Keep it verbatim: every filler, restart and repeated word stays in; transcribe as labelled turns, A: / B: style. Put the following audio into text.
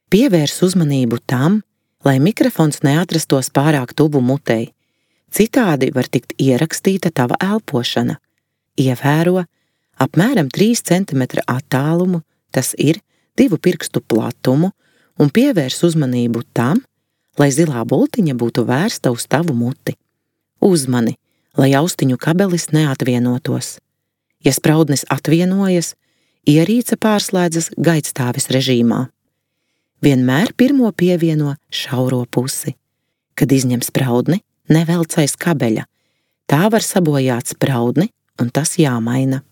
A: Pievērs uzmanību tam, lai mikrofons neatrastos pārāk tuvu mutei. Citādi var tikt ierakstīta tava elpošana. Ievēro apmēram trīs centimetri attālumu, tas ir divu pirkstu platumu, un pievērs uzmanību tam, lai zilā bultiņa būtu vērsta uz tavu muti. Uzmani, lai austiņu kabelis neatvienotos. Ja spraudnis atvienojas, ierīce pārslēdzas gaidstāves režīmā. Vienmēr pirmo pievieno šauro pusi. Kad izņem spraudni, nevelc aiz kabeļa. Tā var sabojāt spraudni, un tas jāmaina.